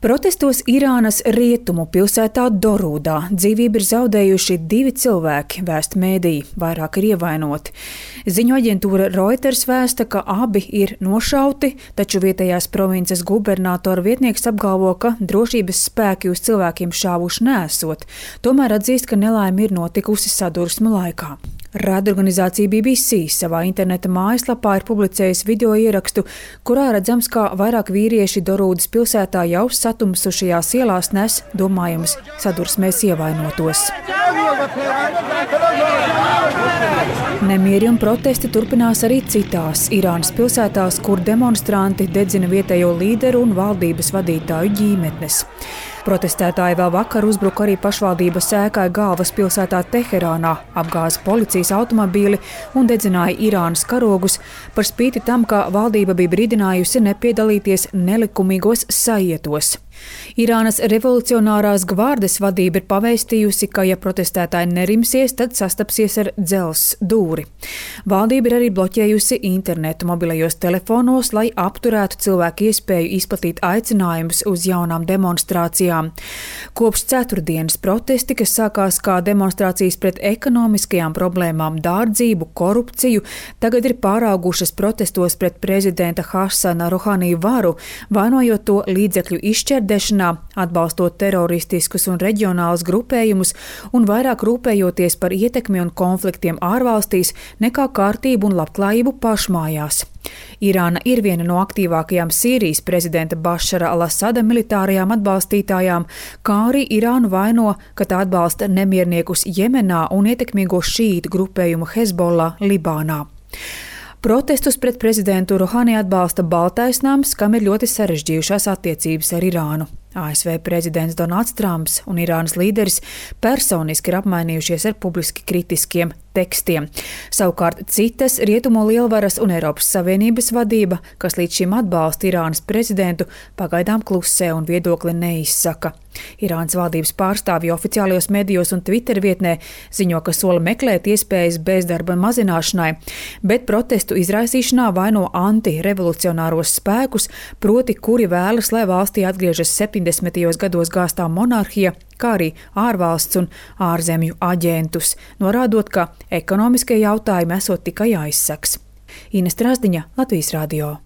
Protestos Irānas rietumu pilsētā Dorūdā dzīvību ir zaudējuši 2 cilvēki, vēsta mēdīji, vairāk ir ievainoti. Ziņu aģentūra Reuters vēsta, ka abi ir nošauti, taču vietējās provinces gubernatora vietnieks apgalvo, ka drošības spēki uz cilvēkiem šāvuši nesot, tomēr atzīst, ka nelaime ir notikusi sadursmu laikā. Raidorganizācija BBC savā interneta mājaslapā ir publicējusi video ierakstu, kurā redzams, kā vairāk vīrieši Dorūdas pilsētā jau satumsušajās ielās nes domājamas sadursmēs ievainotos. Nemieri un protesti turpinās arī citās Irānas pilsētās, kur demonstranti dedzina vietējo līderu un valdības vadītāju ģimenes. Protestētāji vēl vakar uzbruka arī pašvaldības ēkai galvaspilsētā Teherānā, apgāza policijas automobīli un dedzināja Irānas karogus, par spīti tam, ka valdība bija brīdinājusi nepiedalīties nelikumīgos saietos. Irānas revolucionārās gvardes vadība ir pavēstījusi, ka, ja protestētāji nerimsies, tad sastapsies ar dzelzs dūri. Valdība ir arī bloķējusi internetu mobilajos telefonos, lai apturētu cilvēku iespēju izplatīt aicinājumus uz jaunām demonstrācijām. Kopš ceturtdienas protesti, kas sākās kā demonstrācijas pret ekonomiskajām problēmām, dārdzību, korupciju, tagad ir pāraugušas protestos pret prezidenta Hasana Rohani varu, vainojot to līdzekļu izšķērdēšanā, atbalstot teroristiskus un reģionālus grupējumus un vairāk rūpējoties par ietekmi un konfliktiem ārvalstīs nekā kārtību un labklājību pašmājās. Irāna ir viena no aktīvākajām Sīrijas prezidenta Bašara al-Asada militārajām atbalstītājām, kā arī Irānu vaino, ka tā atbalsta nemierniekus Jemenā un ietekmīgo šīītu grupējumu Hezbollah Libānā. Protestus pret prezidentu Rohani atbalsta Baltais nams, kam ir ļoti sarežģījušās attiecības ar Irānu. ASV prezidents Donalds Trumps un Irānas līderis personiski ir apmainījušies ar publiski kritiskiem tekstiem. Savukārt citas rietumu lielvaras un Eiropas Savienības vadība, kas līdz šim atbalsta Irānas prezidentu, pagaidām klusē un viedokli neizsaka. Irānas valdības pārstāvji oficiālajos medijos un Twitter vietnē ziņo, ka sola meklēt iespējas bezdarba mazināšanai, bet protestu izraisīšanā vaino antirevolucionāros spēkus, proti, kuri vēlas, lai valstī atgriežas 70. gados gāstā monarhija, kā arī ārvalsts un ārzemju aģentus, norādot, ka ekonomiskie jautājumi esot tikai aizsaks. Ines Trasdiņa, Latvijas radio.